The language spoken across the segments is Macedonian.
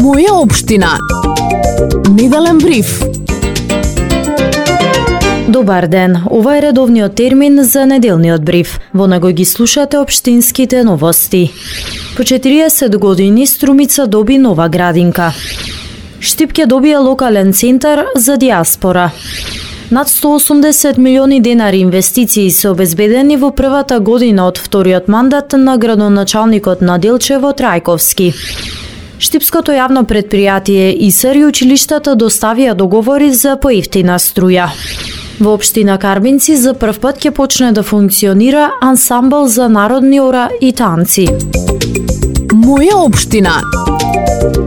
Моја општина. Неделен бриф. Добар ден, ова е редовниот термин за неделниот бриф. Во него ги слушате општинските новости. По 40 години Струмица доби нова градинка. Штипке добија локален центар за диаспора. Над 180 милиони денари инвестиции се обезбедени во првата година од вториот мандат на градоначалникот на Делчево Трајковски. Штипското јавно предпријатие ИСР и училиштата доставија договори за поевтина струја. Во општина Карбинци за прв пат ќе почне да функционира ансамбл за народни ора и танци. Моја општина.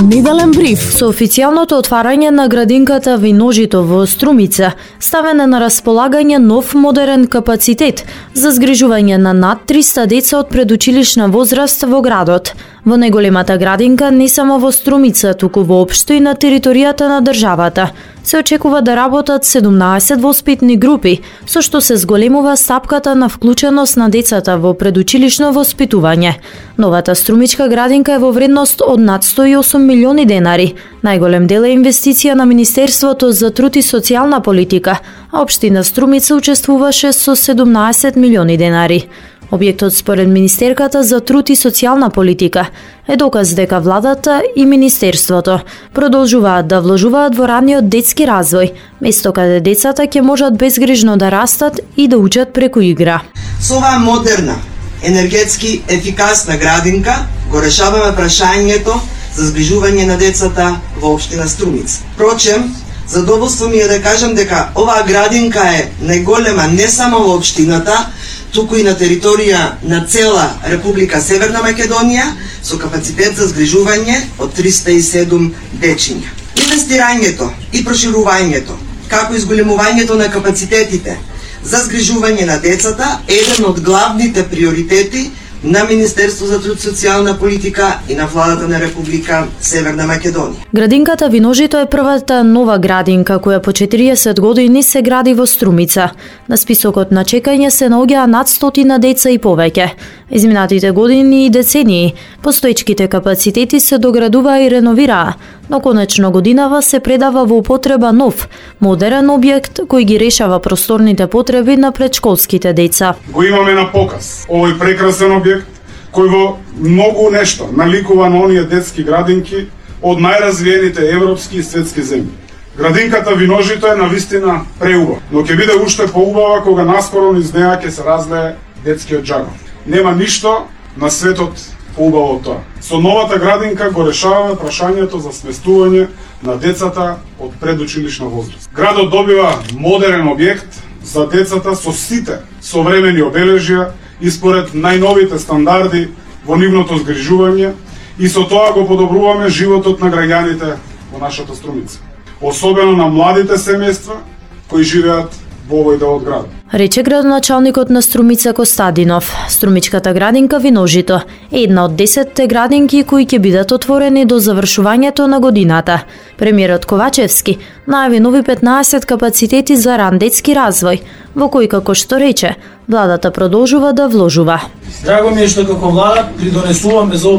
Неделен бриф. Со официјалното отварање на градинката Виножито во Струмица ставен на располагање нов модерен капацитет за згрижување на над 300 деца од предучилишна возраст во градот. Во најголемата градинка не само во Струмица, туку воопшто и на територијата на државата се очекува да работат 17 воспитни групи, со што се зголемува стапката на вклученост на децата во предучилишно воспитување. Новата струмичка градинка е во вредност од над 108 милиони денари. Најголем дел е инвестиција на Министерството за труд и социјална политика, а општина Струмица учествуваше со 17 милиони денари. Објектот според Министерката за труд и социјална политика е доказ дека владата и Министерството продолжуваат да вложуваат во раниот детски развој, место каде децата ќе можат безгрижно да растат и да учат преку игра. Со оваа модерна, енергетски ефикасна градинка го решаваме прашањето за згрижување на децата во општина Струмица. Впрочем, задоволство ми е да кажам дека оваа градинка е најголема не само во општината, туку и на територија на цела Република Северна Македонија, со капацитет за згрижување од 307 дечиња. Инвестирањето и проширувањето, како и зголемувањето на капацитетите за згрижување на децата е еден од главните приоритети на Министерство за труд и социјална политика и на владата на Република Северна Македонија. Градинката Виножито е првата нова градинка која по 40 години се гради во Струмица. На списокот на чекање се наоѓаа над 100 деца и повеќе. Изминатите години и децении постоечките капацитети се доградуваа и реновираа, но конечно годинава се предава во употреба нов, модерен објект кој ги решава просторните потреби на предшколските деца. Го имаме на показ овој прекрасен објект кој во многу нешто наликува на оние детски градинки од најразвиените европски и светски земји. Градинката Виножито е навистина преубава, но ќе биде уште поубава кога наскоро низ неа ќе се разлее детскиот џагов. Нема ништо на светот поубаво од тоа. Со новата градинка го решаваме прашањето за сместување на децата од предучилишна возраст. Градот добива модерен објект за децата со сите современи обележја и според најновите стандарди во нивното згрижување и со тоа го подобруваме животот на граѓаните во нашата Струмица, особено на младите семејства кои живеат во овој дел од градот. Рече градоначалникот на Струмица Костадинов. Струмичката градинка Виножито е една од 10 градинки кои ќе бидат отворени до завршувањето на годината. Премиерот Ковачевски најави нови 15 капацитети за ран детски развој, во кои, како што рече, владата продолжува да вложува. Драго ми е што како влада придонесуваме за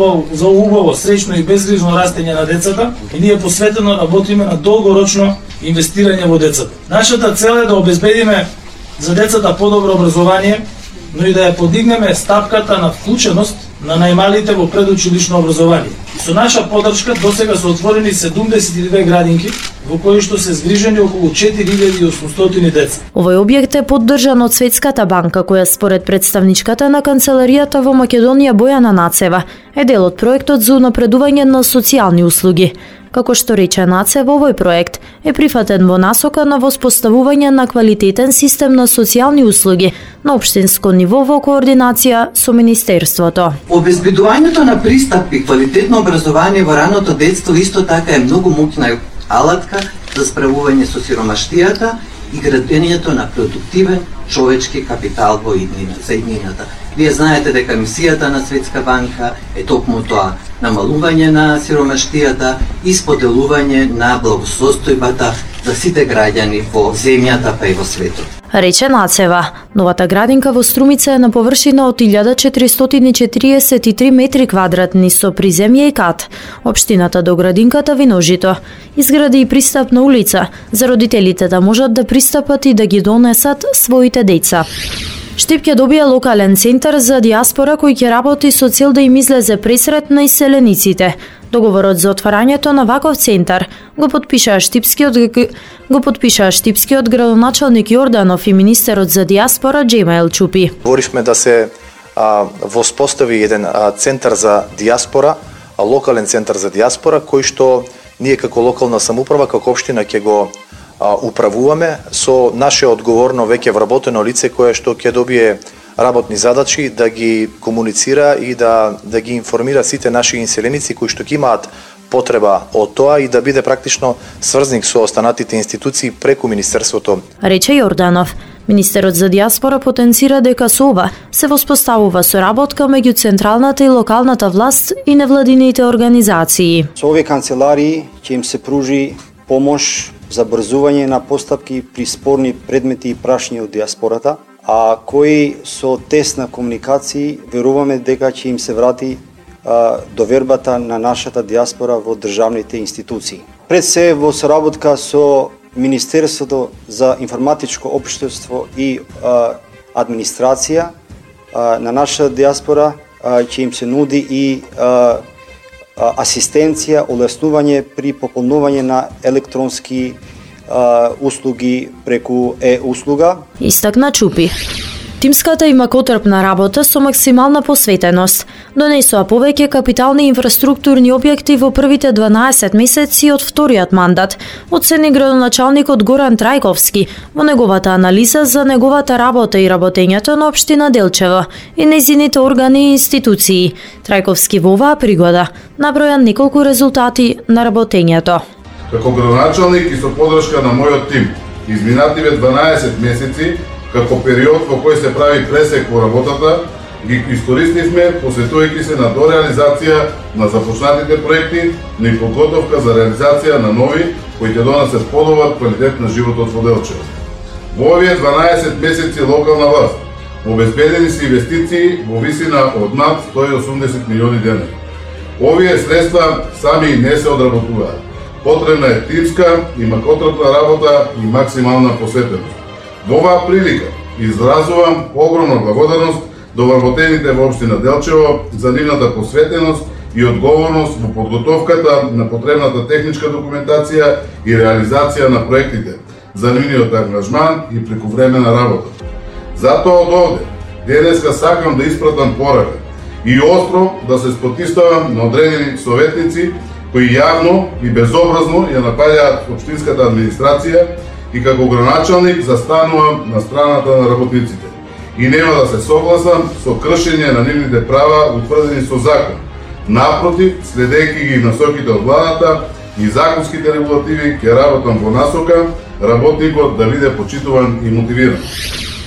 убаво, среќно и безгрижно растење на децата и ние посветено работиме на долгорочно инвестирање во децата. Нашата цел е да обезбедиме за децата подобро образование, но и да ја подигнеме стапката на вклученост на најмалите во предучилишно образование. И со наша поддршка досега се отворени 72 градинки во кои што се згрижени околу 4800 деца. Овој објект е поддржан од Светската банка, која според представничката на канцеларијата во Македонија Бојана Нацева е дел од проектот за унапредување на социјални услуги. Како што рече Нацева, овој проект е прифатен во насока на воспоставување на квалитетен систем на социјални услуги на општинско ниво во координација со Министерството. Обезбедувањето на пристап и квалитетно образование во раното детство исто така е многу моќна алатка за справување со сиромаштијата и градењето на продуктивен човечки капитал во иднината. Вие знаете дека мисијата на Светска банка е токму тоа, намалување на сиромаштијата и споделување на благосостојбата за сите граѓани во земјата па и во светот. Рече Нацева. Новата градинка во Струмица е на површина од 1443 метри квадратни со приземје и кат. Општината до градинката Виножито изгради и пристапна улица за родителите да можат да пристапат и да ги донесат своите деца. Штип ќе добие локален центар за диаспора кој ќе работи со цел да им излезе пресрет на иселениците. Договорот за отварањето на ваков центар го подпишаа штипскиот градоначалник Јорданов и министерот за диаспора Џема Елчупи. Говоривме да се воспостави еден центар за диаспора, локален центар за диаспора, кој што ние како локална самоуправа, како општина ќе го управуваме со наше одговорно веќе вработено лице кое што ќе добие работни задачи да ги комуницира и да ги информира сите наши инселеници кои што ќе имаат потреба од тоа и да биде практично сврзник со останатите институции преку Министерството. Рече Јорданов. Министерот за диаспора потенцира дека со ова се воспоставува соработка меѓу централната и локалната власт и невладините организации. Со овие канцеларии ќе им се пружи помош за брзување на постапки при спорни предмети и прашања од диаспората, а кои со тесна комуникација веруваме дека ќе им се врати довербата на нашата диаспора во државните институции. Пред се во соработка со Министерството за информатичко општество и администрација на нашата диаспора ќе им се нуди и асистенција, олеснување при пополнување на електронски услуги преку услуга. Истакна Чупи. Тимската има котрпна работа со максимална посветеност. Донесоа повеќе капитални инфраструктурни објекти во првите 12 месеци од вториот мандат, оцени градоначалникот Горан Трајковски во неговата анализа за неговата работа и работењето на општина Делчево и нејзините органи и институции. Трајковски во оваа пригода наброја неколку резултати на работењето. Како градоначалник и со подршка на мојот тим, изминативе 12 месеци како период во кој се прави пресек во работата, ги искористивме посветувајќи се на дореализација на започнатите проекти, но и подготовка за реализација на нови кои ќе донесат подобар квалитет на животот во Делчево. Во овие 12 месеци локална власт обезбедени се инвестиции во висина од над 180 милиони денари. Овие средства сами не се одработуваат. Потребна е тимска и макотрпна работа и максимална посветеност. Во оваа прилика изразувам огромна благодарност до вработените во општина Делчево за нивната посветеност и одговорност во подготовката на потребната техничка документација и реализација на проектите, за нивниот ангажман и прекувремена работа. Затоа од овде денеска сакам да испратам порака и остро да се спотиставам на одредени советници кои јавно и безобразно ја напаѓаат општинската администрација и како градоначалник застанувам на страната на работниците и нема да се согласам со кршење на нивните права утврдени со закон. Напротив, следејќи ги насоките од владата и законските регулативи, ќе работам во насока работникот да биде почитуван и мотивиран.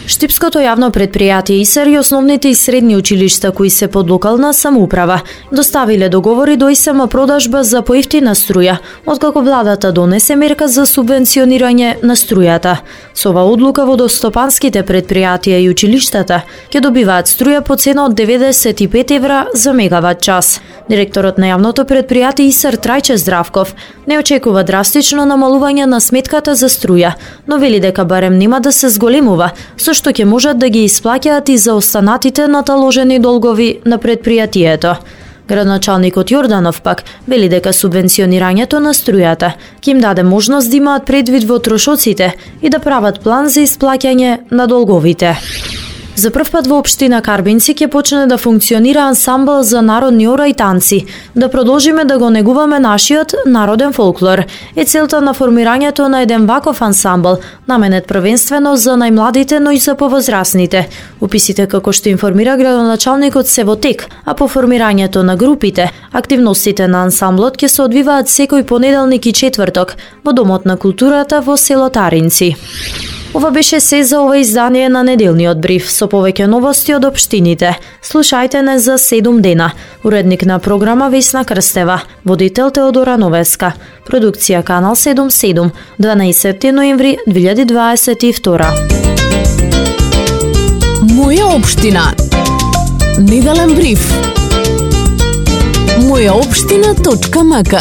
Штипското јавно предпријатие ИСЕР и основните и средни училишта кои се под локална самоуправа доставиле договори до ИСМ продажба за поевтина струја, откако владата донесе мерка за субвенционирање на струјата. Со оваа одлука водостопанските предпријатија и училиштата ќе добиваат струја по цена од 95 евра за мегават час. Директорот на јавното предпријатие ИСЕР Трајче Здравков не очекува драстично намалување на сметката за струја, но вели дека барем нема да се зголемува, со што ќе можат да ги исплаќаат и за останатите наталожени долгови на предпријатието. Градоначалникот Јорданов пак вели дека субвенционирањето на струјата ќе им даде можност да имаат предвид во трошоците и да прават план за исплаќање на долговите. За прв пат во општина Карбинци ќе почне да функционира ансамбл за народни ора и танци. Да продолжиме да го негуваме нашиот народен фолклор. Е целта на формирањето на еден ваков ансамбл, наменет првенствено за најмладите, но и за повозрасните. Уписите како што информира градоначалникот се во тек, а по формирањето на групите, активностите на ансамблот ќе се одвиваат секој понеделник и четврток во Домот на културата во село Таринци. Ова беше се за ова издание на неделниот бриф со повеќе новости од општините. Слушајте не за 7 дена. Уредник на програма Весна Крстева, водител Теодора Новеска. Продукција Канал 77, 12 ноември 2022. Моја општина. Неделен бриф. Мојаопштина.мк